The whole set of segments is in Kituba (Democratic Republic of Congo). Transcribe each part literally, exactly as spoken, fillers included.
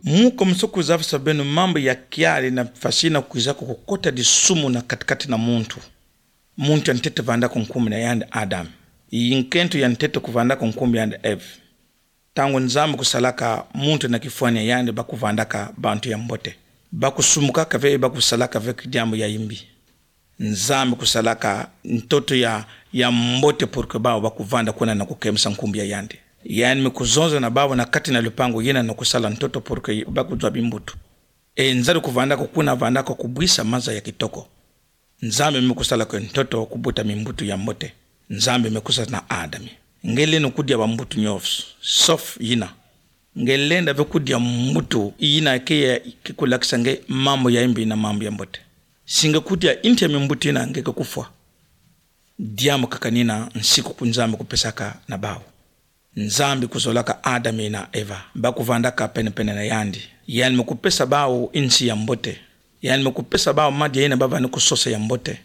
Mu komeso kuzabisa beno mambu ya kiali na fasi ina kwizaka kukota disumu na katikati na muntu. Muntu ya ntete vandaka nkumbu na yandi Adam. I nkento ya ntete kuvandaka nkumbu yandi Eve. Ntangu Nzambi kusalaka muntu na kifwani ya yandi, bakuvandaka bantu ya mbote. Bakusumukaka ve, bakusalaka ve ki diambu ya imbi. Nzambi kusalaka ntoto ya, ya mbote pour que bawu bakuvanda kuna na kukemisa nkumbu ya yandi. Yandi me kuzonza na bawu na kati na lupangu yina na kusala ntoto pour que bakuzwa bimbutu. E nzari kuvandaka kuna, vandaka kubwisa maza ya kitoko. Nzambi me kusala kwe ntoto kubuta mimbutu ya mbote. Nzambi me kuzonza na Adami: Nge lenda kudia bambutu nyonso, sauf yina. Nge lenda ve kudia mbutu yina ke ya, ke kulakisa nge mambu ya imbi na mambu ya mbote. Si nge kudia inti ya mimbutu yina, nge ke kufwa. Diambu kaka nina nsiku ku Nzambi kupesaka na bawu. Nzambi kuzolaka Adami na Eva, bakuvandaka pene-pene na yandi. Yandi me kupesa bawu insi ya mbote. Yandi me kupesa bawu madia yina bavani kusosa ya mbote.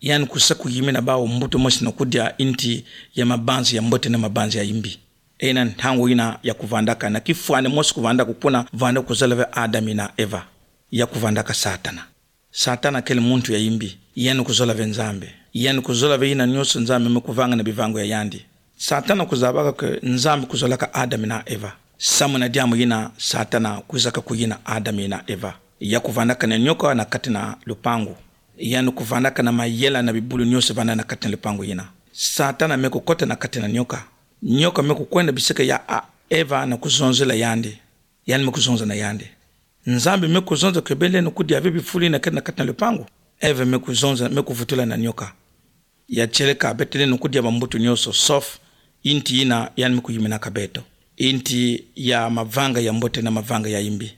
Yandi kusa kuyimina bawu mbutu mosi na kudia inti ya mabanzi ya mbote na mabanzi ya imbi. E na ntangu yina ya kuvandaka na kifwani mosi kuvandaka kuna, vanda kuzolava Adami na Eva. Ya kuvandaka Satana. Satana kele muntu ya imbi, yandi kuzolava Nzambi. Yandi kuzolava yina nyonso Nzambi me kuvanga na bivangu ya yandi. Satana kuzabaka kwe Nzambi kuzolaka Adami na Eva. Samu na diambu yina Satana kwizaka kuyina Adami na Eva. Ya kuvandaka na nyoka na kati na lupangu. Yandi kuvandaka na mayela na bibulu nyonso vanda na kati na lupangu yina. Satana me kukota na kati na nyoka. Nyoka me kukwenda bisika ya a-, Eva na kuzonzela yandi. Yandi me kuzonza na yandi: Nzambi me kuzonza kwe beno lenda kudia ve bifulu yina kele na kati na lupangu? Eva me kuzonza, me kuvutula na nyoka: Ya tieleka, beto lenda kudia bambutu nyonso, sauf inti yina yandi me kuyiminaka beto. Inti ya mavanga ya mbote na mavanga ya imbi.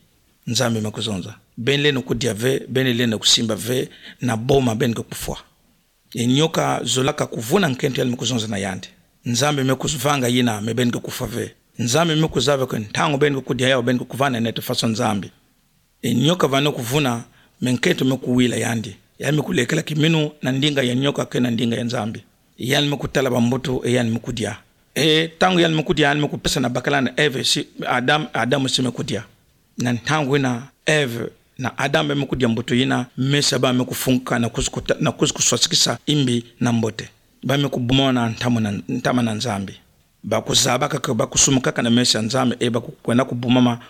Nzambi me kuzonza: Beno lenda kudia ve, beno lenda kusimba ve na boma, beno ke kufwa. E nyoka zolaka kuvuna nkento yandi me kuzonza na yandi. Nzambi me kuvanga yina, me beno ke kufwa ve. Nzambi me kuzaba kwe ntangu beno ke kudia yawu, beno ke kuvana neto faso Nzambi. E nyoka vano kuvuna, me nkento me kuwila yandi. Yandi me kulekela kiminu na ndinga ya nyoka ke na ndinga ya Nzambi. Yandi me kutala bambutu, e yandi me kudia. E ntangu yandi me kudia, yandi me kupesa na bakala na Eve, si Adam, Adam si me kudia. Na ntangu yina, Eve na Adam ba me kudia mbutu yina, meso ya bawu me kufunguka na kuzi kuta-, na kuzi kuswasikisa imbi na mbote. Ba me kubumona ntama na, ntama na Nzambi. Bakuzabaka kwe bakusumukaka na meso ya Nzambi, e bakukwenda kubumama,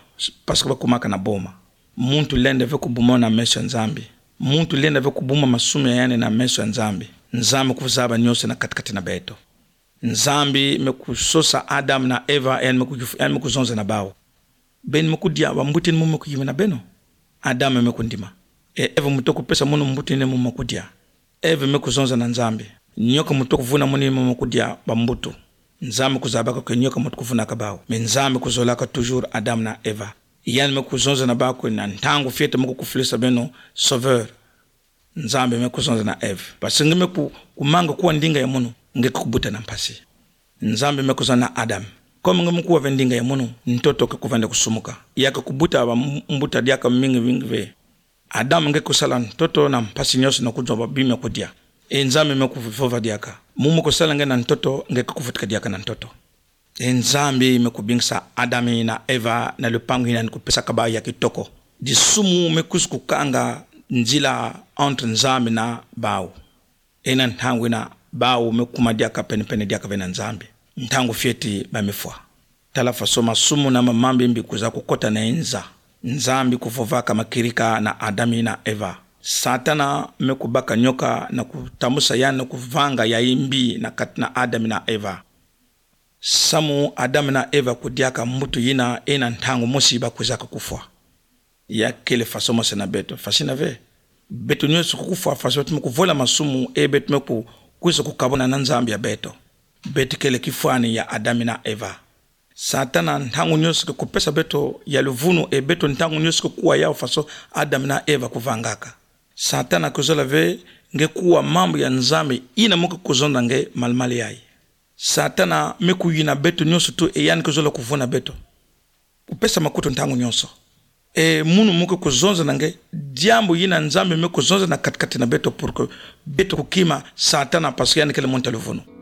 parce que bakumaka na boma. Muntu lenda ve kubumona meso ya Nzambi. Muntu lenda ve kubumama masumu ya yandi na meso ya Nzambi. Nzambi kuzaba nyonso na kati-kati na beto. Nzambi me kusosa Adam na Eva, yandi me ku-, yandi me kuzonza na bawu: Beno me kudia bambutu yina mu me kuyimina beno? Adam me kundima. E Eva, muto kupesa munu mbutu yina mu me kudia? Eva me kuzonza na Nzambi: Nyoka muto kuvuna munu yina mu me kudia bambutu. Nzambi kuzabaka kwe nyoka muto kuvunaka bawu. Mais Nzambi kuzolaka toujours Adam na Eva. Yandi me kuzonza na bawu kwe na ntangu fioti mu kukufulisa beno Sauveur. Nzambi me kuzonza na Eve: Parce que nge me ku-, kumanga kuwa ndinga ya munu, nge ke kubuta na mpasi. Nzambi me kuzonza na Adam: Comme nge me kuwa ve ndinga ya munu, ntoto ke kuvanda kusumuka. Ya ke kubuta bam-, mbuta diaka mingi mingi ve. Adam, nge kusala ntoto na mpasi nyonso na kuzwa ba bi me kudia. E Nzambi me kuvova diaka: Mu me kusala nge na ntoto, nge ke kuvutuka diaka na ntoto. E Nzambi me kubingisa Adam na Eva na lupangu yina yandi kupesaka bawu ya kitoko. Disumu me kuzi kukanga nzila entre Nzambi na bawu. E na ntangu yina bawu me kuma diaka pene-pene diaka ve na Nzambi. Ntangu fioti ba me fwa. Tala faso masumu na mambu ya mbi kwiza kukota na inza. Nzambi kuvovaka makirika na Adam na Eva. Satana me kubaka nyoka na kutambusa yandi na kuvanga ya imbi na kati na Adam na Eva. Samu Adam na Eva kudiaka mbutu yina, e na ntangu mosi ba kwizaka kufwa. Ya kele faso mosi na beto. Faso yina ve, beto nyonso ke kufwa, faso beto me kuvola masumu, e beto me ku-, kwiza kukabwana na Nzambi ya beto. Beto kele kifwani ya Adam na Eva. Satana ntangu nyonso ke kupesa beto ya luvunu, e beto ntangu nyonso ke kuwa yawu faso Adam na Eva kuvangaka. Satana kuzola ve nge kuwa mambu ya Nzambi yina mu ke kuzonza nge malu-malu yayi. Satana me kuyina beto nyonso tu, e yandi kuzola kuvuna beto. Kupesa makutu ntangu nyonso. E munu mu ke kuzonza na nge diambu yina Nzambi me kuzonza na kati-kati na beto pour que beto kukima Satana, parce que yandi kele muntu ya luvunu.